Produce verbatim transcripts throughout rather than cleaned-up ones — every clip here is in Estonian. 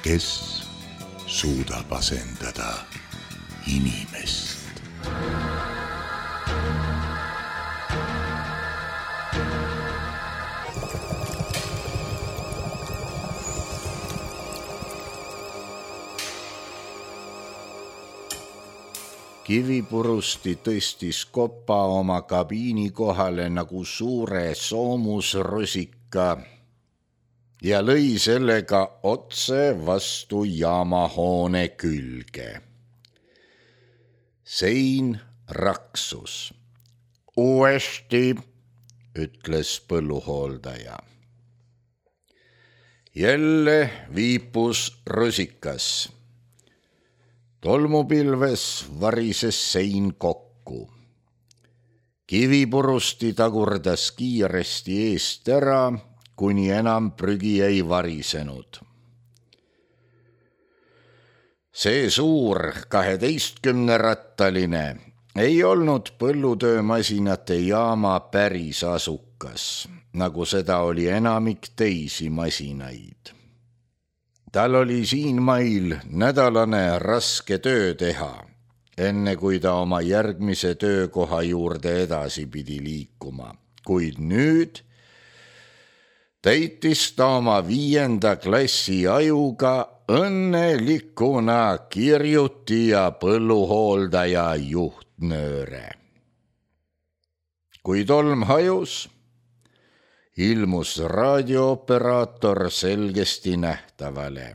kes suudab asendada inimest. Kivipurusti tõstis kopa oma kabiini kohale nagu suure soomusrusika ja lõi sellega otse vastu jaamahoone külge. Sein raksus. Uuesti, ütles põlluhooldaja. Jälle viipus rusikas. Tolmupilves varises sein kokku. Kivipurusti tagurdas kiiresti eest ära, kuni enam prügi ei varisenud. See suur kaheteistkümnerattaline ei olnud põllutöömasinate jaama päris asukas, nagu seda oli enamik teisi masinaid. Tal oli siin mail nädalane raske töö teha, enne kui ta oma järgmise töökoha juurde edasi pidi liikuma. Kuid nüüd täitis ta oma viienda klassi ajuga õnnelikuna kirjuti ja põlluhooldaja juhtnööre. Kui tolm hajus, ilmus raadiooperaator selgesti nähtavale,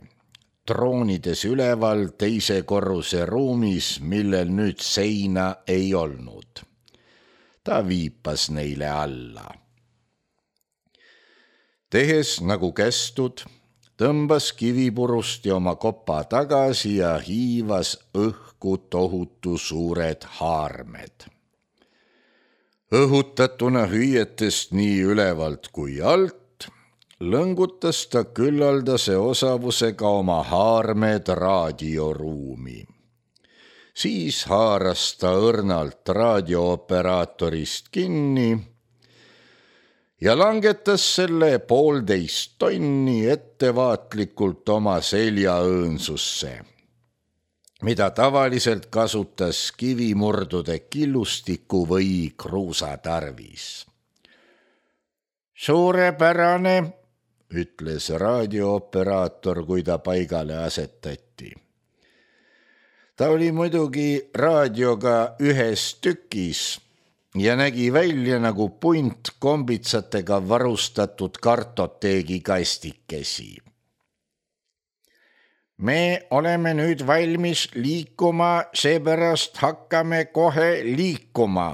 troonides üleval teise korruse ruumis, millel nüüd seina ei olnud. Ta viipas neile alla. Tehes nagu kästud, tõmbas Kivipurusti oma kopa tagasi ja hiivas õhku tohutu suured haarmed. Õhutatuna hüüetest nii ülevalt kui alt, lõngutas ta küllaldase osavusega oma haarmed raadioruumi. Siis haaras ta õrnalt raadiooperaatorist kinni ja langetas selle poolteist tonni ettevaatlikult oma seljaõõnsusse, mida tavaliselt kasutas kivimurdude killustiku või kruusatarvis. Suurepärane, ütles raadiooperaator, kui ta paigale asetati. Ta oli muidugi raadioga ühes tükis ja nägi välja nagu punt kombitsatega varustatud kartoteegi kastikesi. Me oleme nüüd valmis liikuma, seepärast hakkame kohe liikuma.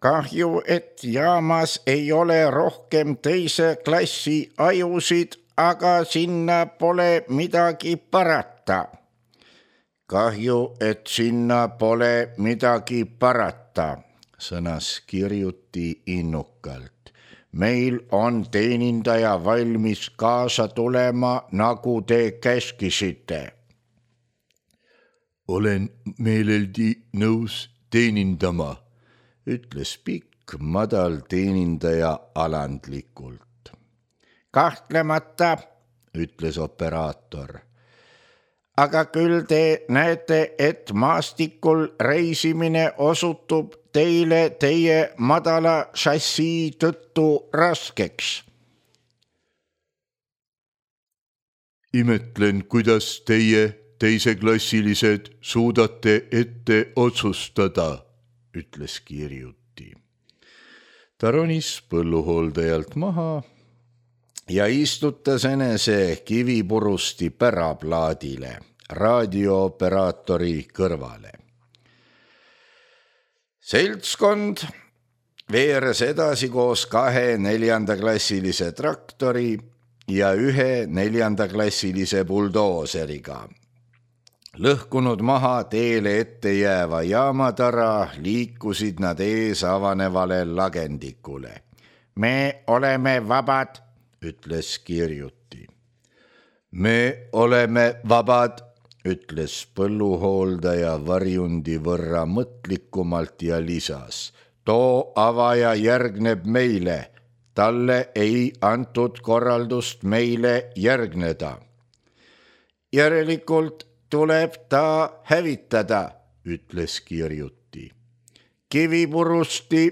Kahju, et jaamas ei ole rohkem teise klassi ajusid, aga sinna pole midagi parata. Kahju, et sinna pole midagi parata, sõnas kirjuti innukalt. Meil on teenindaja valmis kaasa tulema, nagu te käskisite. Olen meeleldi nõus teenindama, ütles pikk, madal teenindaja alandlikult. Kahtlemata, ütles operaator. Aga küll te näete, et maastikul reisimine osutub teile teie madala šassii tõttu raskeks. Imetlen, kuidas teie teiseklassilised suudate ette otsustada, ütles kirjuti. ta ronis põlluhooldajalt maha ja istutas enese kivipurusti päraplaadile raadiooperaatori kõrvale. Seltskond veeres edasi koos kahe neljandaklassilise traktori ja ühe neljandaklassilise buldooseriga. Lõhkunud maha teele ette jääva jaamatara liikusid nad ees avanevale lagendikule. Me oleme vabad, ütles Kirjuti. Me oleme vabad, ütles põlluhooldaja varjundi võrra mõtlikumalt ja lisas. Too avaja järgneb meile, talle ei antud korraldust meile järgneda. Järelikult tuleb ta hävitada, ütles Kirjuti. Kivipurusti.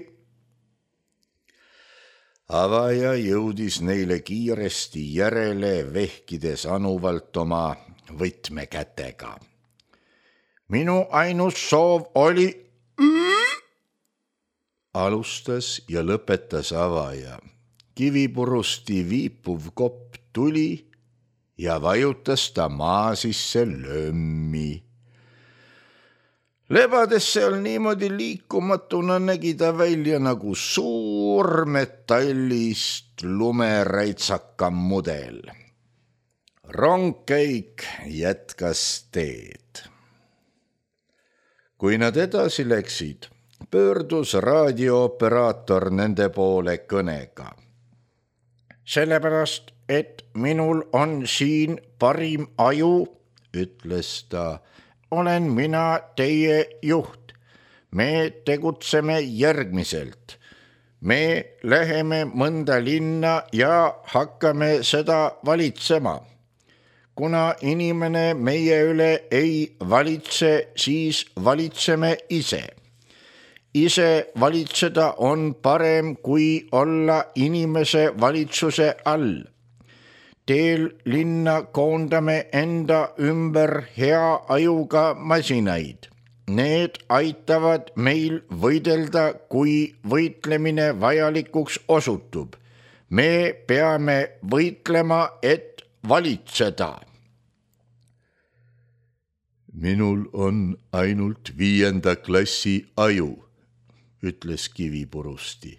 Avaja jõudis neile kiiresti järele, vehkides anuvalt oma võtmekätega. Minu ainus soov oli alustas ja lõpetas avaja. Kivipurusti viipuv kopp tuli ja vajutas ta maa sisse lömmi. Lebades seal niimoodi liikumatuna nägi ta välja nagu suur metallist lumeräitsaka mudel. Rongkäik jätkas teed. Kui nad edasi läksid, pöördus raadiooperaator nende poole kõnega. Sellepärast, et minul on siin parim aju, ütles ta, olen mina teie juht. Me tegutseme järgmiselt. Me läheme mõnda linna ja hakkame seda valitsema. Kuna inimene meie üle ei valitse, siis valitseme ise. Ise valitseda on parem kui olla inimese valitsuse all. Teel linna koondame enda ümber hea ajuga masinaid. Need aitavad meil võidelda, kui võitlemine vajalikuks osutub. Me peame võitlema, et valitseda. Minul on ainult viienda klassi aju, ütles Kivipurusti.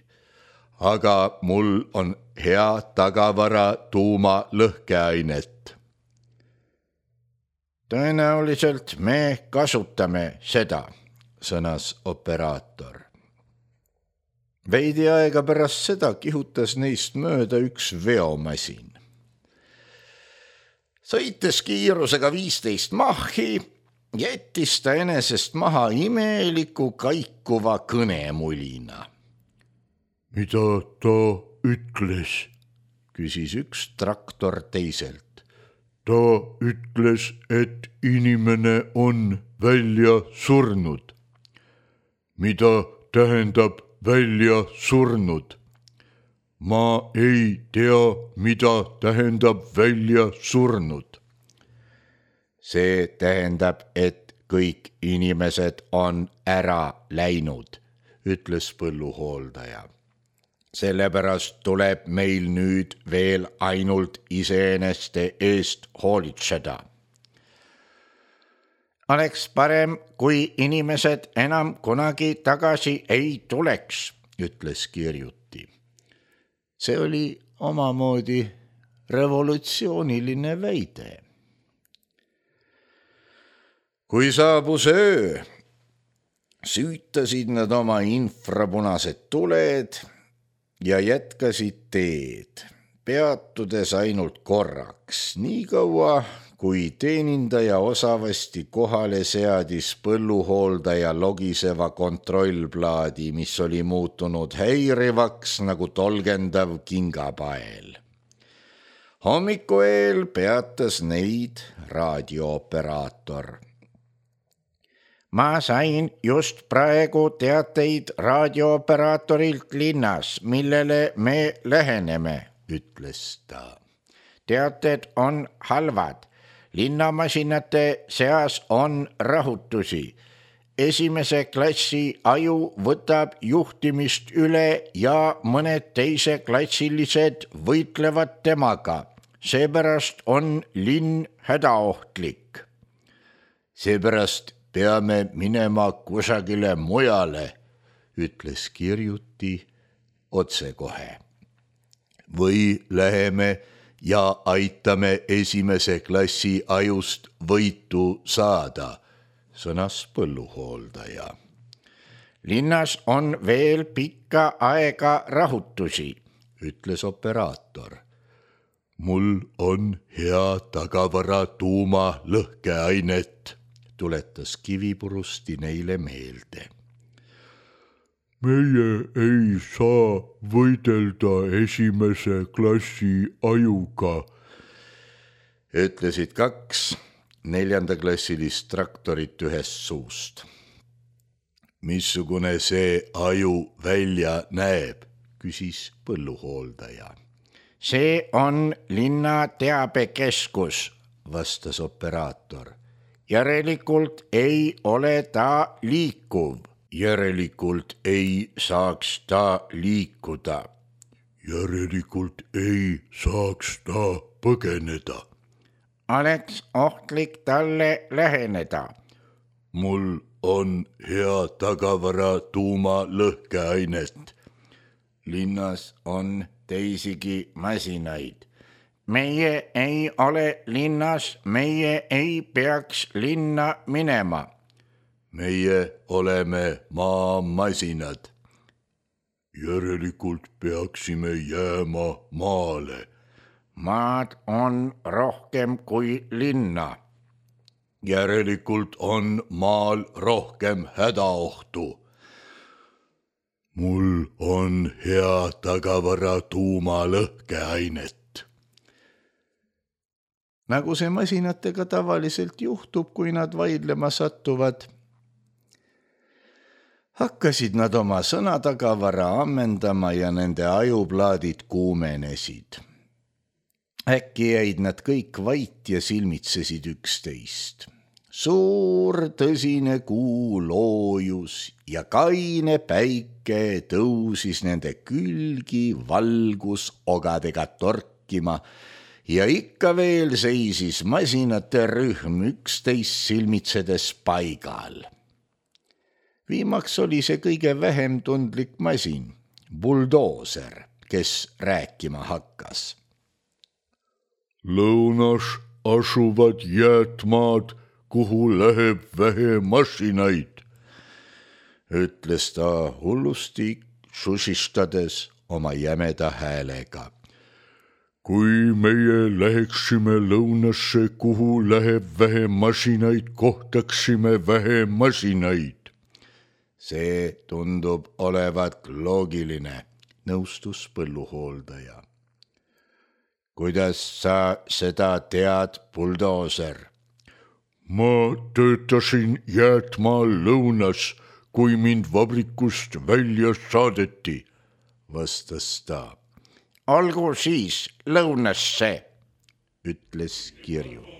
Aga mul on hea tagavara tuuma lõhkeainet. Tõenäoliselt me kasutame seda, sõnas operaator. Veidi aega pärast seda kihutas neist mööda üks veomasin. Sõites kiirusega viisteist mahhi, jättis ta enesest maha imeliku kaikuva kõnemulina. Mida ta ütles, küsis üks traktor teiselt. Ta ütles, et inimene on välja surnud. Mida tähendab välja surnud? Ma ei tea, mida tähendab välja surnud. See tähendab, et kõik inimesed on ära läinud, ütles põlluhooldaja. Sellepärast tuleb meil nüüd veel ainult iseeneste eest hoolitseda. Oleks parem, kui inimesed enam kunagi tagasi ei tuleks, ütles Kirjuti. See oli omamoodi revolutsiooniline väide. Kui saabus öö, süütasid nad oma infrapunased tuled ja jätkasid teed, peatudes ainult korraks, nii kaua, kui teenindaja osavasti kohale seadis põlluhooldaja logiseva kontrollplaadi, mis oli muutunud häirivaks nagu tolgendav kingapael. Hommiku eel peatas neid raadiooperaator. Ma sain just praegu teateid raadiooperaatorilt linnas, millele me läheneme, ütles ta. Teated on halvad. Linnamasinate seas on rahutusi. esimese klassi aju võtab juhtimist üle ja mõned teise klassilised võitlevad temaga. Seepärast on linn hädaohtlik. Seepärast peame minema kusagile mujale, ütles Kirjuti otsekohe. Või läheme ja aitame esimese klassi ajust võitu saada, sõnas põlluhooldaja. Linnas on veel pikka aega rahutusi, ütles operaator. Mul on hea tagavara tuuma lõhkeainet, tuletas Kivipurusti neile meelde. Meie ei saa võidelda esimese klassi ajuga, ütlesid kaks neljandaklassilist traktorit ühest suust. Missugune see aju välja näeb, küsis põlluhooldaja. See on linna teabekeskus, vastas operaator. Järelikult ei ole ta liikuv. Järelikult ei saaks ta liikuda. Järelikult ei saaks ta põgeneda. Oleks ohtlik talle läheneda. Mul on hea tagavara tuuma lõhkeainet. Linnas on teisigi masinaid. Meie ei ole linnas, meie ei peaks linna minema. Meie oleme maamasinad. Järelikult peaksime jääma maale. Maad on rohkem kui linna. Järelikult on maal rohkem hädaohtu. Mul on hea tagavara tuuma lõhkeainet. Nagu see masinatega tavaliselt juhtub, kui nad vaidlema satuvad, hakkasid nad oma sõnatagavara ammendama ja nende ajuplaadid kuumenesid. Äkki jäid nad kõik vait ja silmitsesid üksteist. Suur tõsine kuu loojus ja kaine päike tõusis nende külgi valgusogadega torkima ja ikka veel seisis masinate rühm üksteist silmitsedes paigal. Viimaks oli see kõige vähem tundlik masin, buldooser, kes rääkima hakkas. Lõunas asuvad jäätmaad, kuhu läheb vähe masinaid, ütles ta hullusti susistades oma jämeda häälega. Kui meie läheksime lõunasse, kuhu läheb vähe masinaid, kohtaksime vähe masinaid. See tundub olevat loogiline, nõustus põlluhooldaja. Kuidas sa seda tead, buldooser? Ma töötasin jäätmaal lõunas, kui mind vabrikust välja saadeti, vastas ta. Olgu siis lõunasse, ütles Kirjuti.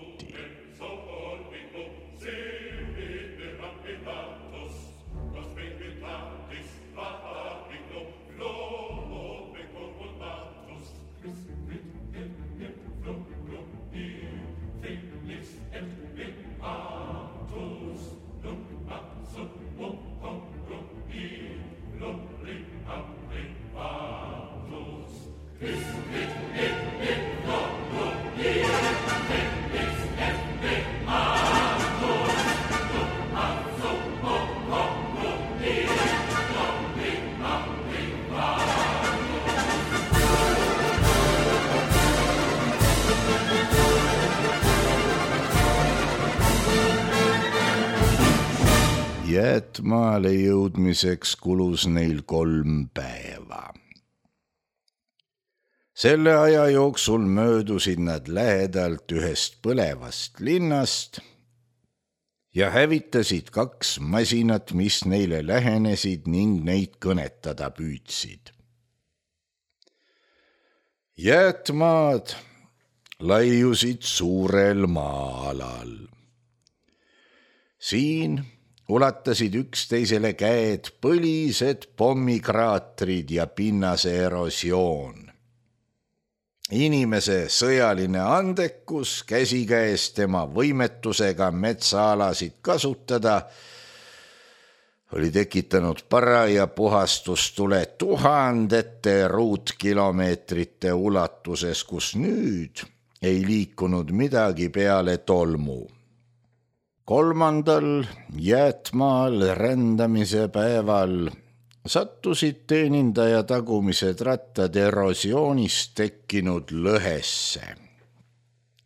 Jäätmaale jõudmiseks kulus neil kolm päeva. Selle aja jooksul möödusid nad lähedalt ühest põlevast linnast ja hävitasid kaks masinat, mis neile lähenesid ning neid kõnetada püüdsid. Jäätmaad laiusid suurel maa-alal. Siin ulatasid üksteisele käed põlised pommikraatrid ja pinnase erosioon. Inimese sõjaline andekus käsikäes tema võimetusega metsaalasid kasutada oli tekitanud paraja puhastustule tuhandete ruutkilomeetrite ulatuses, kus nüüd ei liikunud midagi peale tolmu. Kolmandal jäätmaal rändamise päeval sattusid teenindaja tagumised rattad erosioonist tekkinud lõhesse.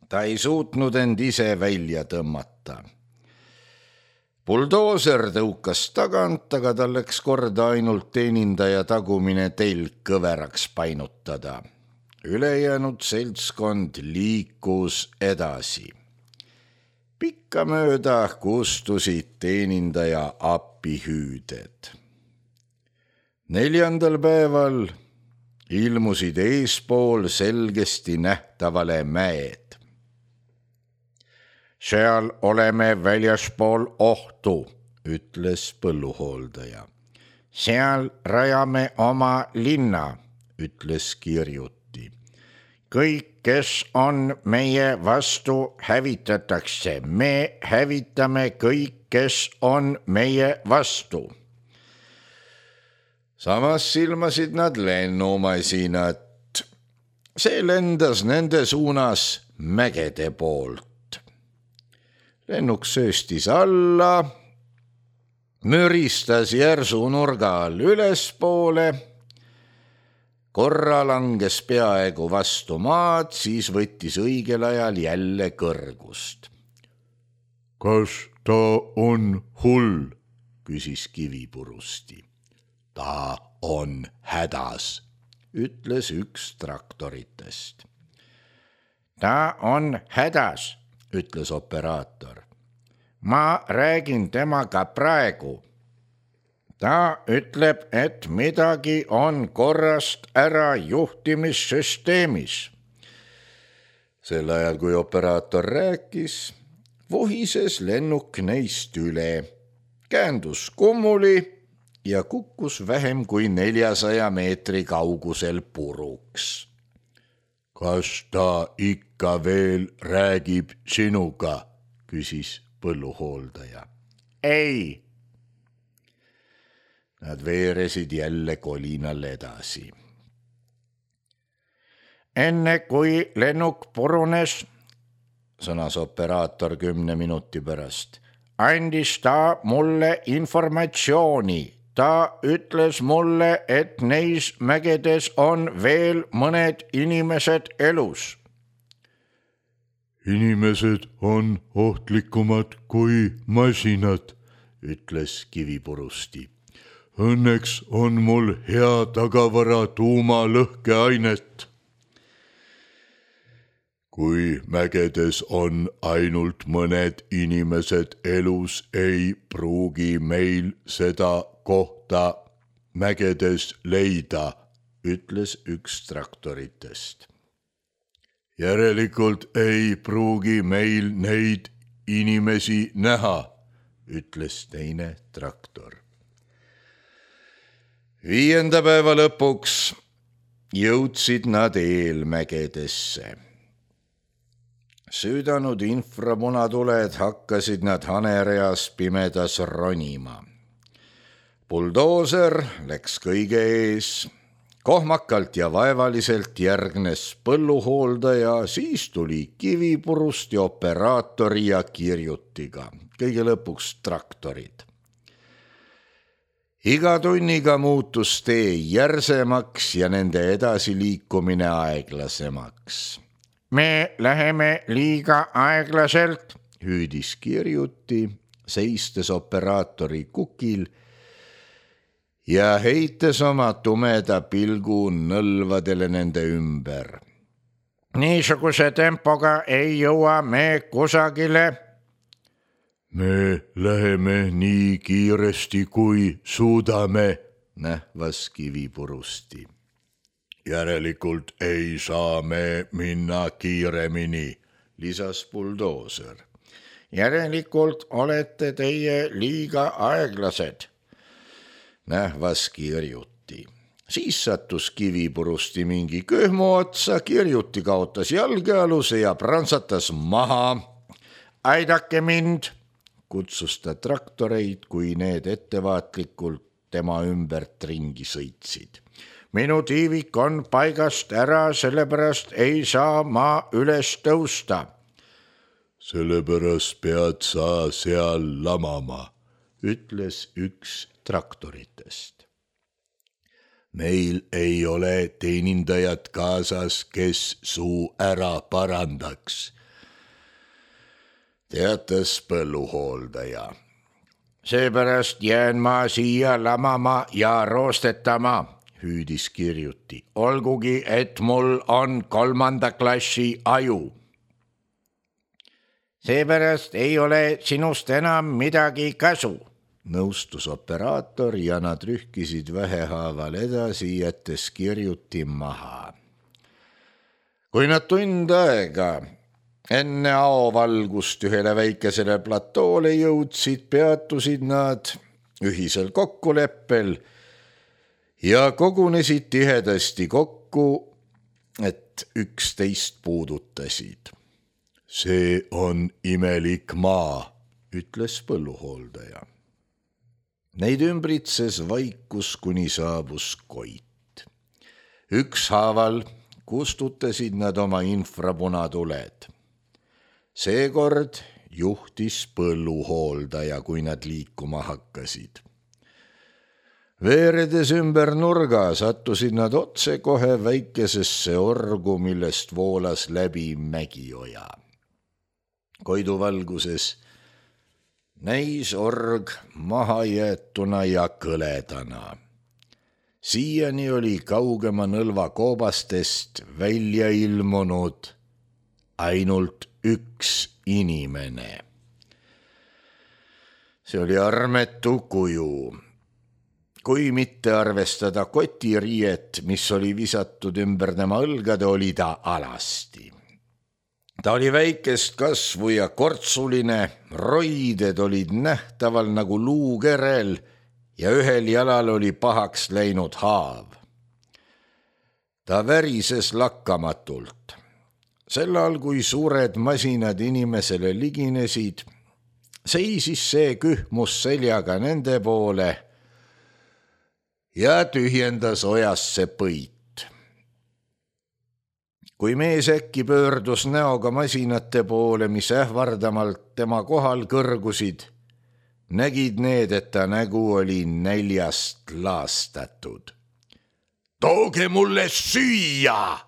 Ta ei suutnud end ise välja tõmmata. Buldooser tõukas tagant, aga tal läks korda ainult teenindaja tagumine telg kõveraks painutada. Ülejäänud seltskond liikus edasi. Pikkamööda kustusid teenindaja appihüüded. Neljandal päeval ilmusid eespool selgesti nähtavale mäed. Seal oleme väljaspool ohtu, ütles põlluhooldaja. Seal rajame oma linna, ütles kirjuti. Kõik, kes on meie vastu, hävitatakse. Me hävitame kõik, kes on meie vastu. Samas silmasid nad lennumasinat. See lendas nende suunas mägede poolt. Lennuk sööstis alla, müristas järsu nurga all ülespoole, korra langes peaaegu vastu maad, siis võttis õigel ajal jälle kõrgust. Kas ta on hull, küsis Kivipurusti. Ta on hädas, ütles üks traktoritest. Ta on hädas, ütles operaator. Ma räägin temaga praegu. Ta ütleb, et midagi on korrast ära juhtimissüsteemis. Sel ajal, kui operaator rääkis, vuhises lennuk neist üle, käändus kummuli ja kukkus vähem kui neljasaja meetri kaugusel puruks. Kas ta ikka veel räägib sinuga, küsis põlluhooldaja. Ei. Nad veeresid jälle kolinal edasi. Enne kui lennuk purunes, sõnas operaator kümne minuti pärast, andis ta mulle informatsiooni. Ta ütles mulle, et neis mägedes on veel mõned inimesed elus. Inimesed on ohtlikumad kui masinad, ütles Kivipurusti. Õnneks on mul hea tagavara tuumalõhkeainet. Kui mägedes on ainult mõned inimesed elus, ei pruugi meil seda kohta mägedes leida, ütles üks traktoritest. Järelikult ei pruugi meil neid inimesi näha, ütles teine traktor. Viienda päeva lõpuks jõudsid nad eelmägedesse. Süüdanud inframunatuled hakkasid nad hanereas pimedas ronima. Buldooser läks kõige ees, kohmakalt ja vaevaliselt järgnes põlluhooldaja, siis tuli Kivipurust ja operaatori ja kirjutiga, kõige lõpuks traktorid. Iga tunniga muutus tee järsemaks ja nende edasiliikumine aeglasemaks. Me läheme liiga aeglaselt, hüüdis kirjuti, seistes operaatori kukil ja heites oma tumeda pilgu nõlvadele nende ümber. Niisuguse tempoga ei jõua me kusagile. Me läheme nii kiiresti, kui suudame, nähvas Kivipurusti. Järelikult ei saa me minna kiiremini, lisas buldooser. järelikult olete teie liiga aeglased. Nähvas kirjuti. Siis sattus kivipurusti mingi köhmu otsa, kirjuti kaotas jalgealuse ja prantsatas maha. Aidake mind, kutsus ta traktoreid, kui need ettevaatlikult tema ümbert ringi sõitsid. Minu tiivik on paigast ära, sellepärast ei saa ma üles tõusta. Sellepärast pead sa seal lamama, ütles üks traktoritest. Meil ei ole teenindajat kaasas, kes suu ära parandaks, teatas põlluhooldaja. Seepärast jään ma siia lamama ja roostetama, hüüdis kirjuti. Olgugi, et mul on kolmanda klassi aju. Seepärast ei ole sinust enam midagi kasu, nõustus operaator ja nad rühkisid vähehaaval edasi, jättes kirjuti maha. Kui nad tund aega enne aovalgust ühele väikesele platoole jõudsid, peatusid nad ühisel kokkuleppel ja kogunesid tihedasti kokku, et üksteist puudutasid. See on imelik maa, ütles põlluhooldaja. Neid ümbritses vaikus, kuni saabus Koit. Ükshaaval kustutasid nad oma infrapunatuled. Seekord juhtis põlluhooldaja, kui nad liikuma hakkasid. Veeredes ümber nurga sattusid nad otse kohe väikesesse orgu, millest voolas läbi Mägioja. Koidu valguses näis org mahajäetuna ja kõledana. Siiani oli kaugema nõlva koobastest välja ilmunud ainult üks inimene. See oli armetu kuju. Kui mitte arvestada kotiriiet, mis oli visatud ümber tema õlgade, oli ta alasti. Ta oli väikest kasvu ja kortsuline, roided olid nähtaval nagu luukerel ja ühel jalal oli pahaks läinud haav. Ta värises lakkamatult. Sellal, kui suured masinad inimesele liginesid, seisis see kühmus seljaga nende poole ja tühjendas ojasse põit. Kui mees äkki pöördus näoga masinate poole, mis ähvardamalt tema kohal kõrgusid, nägid need, et ta nägu oli näljast laastatud. Tooge mulle süüa,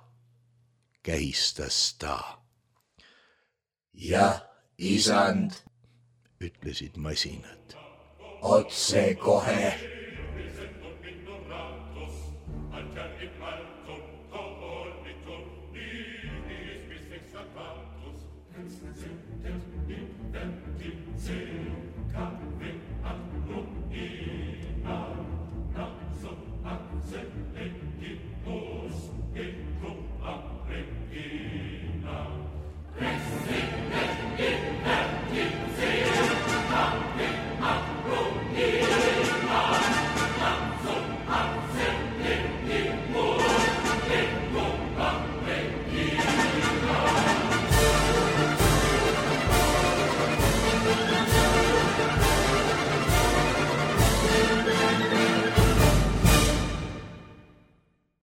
kähistas ta. Jah, isand, ütlesid masinad. Otse kohe.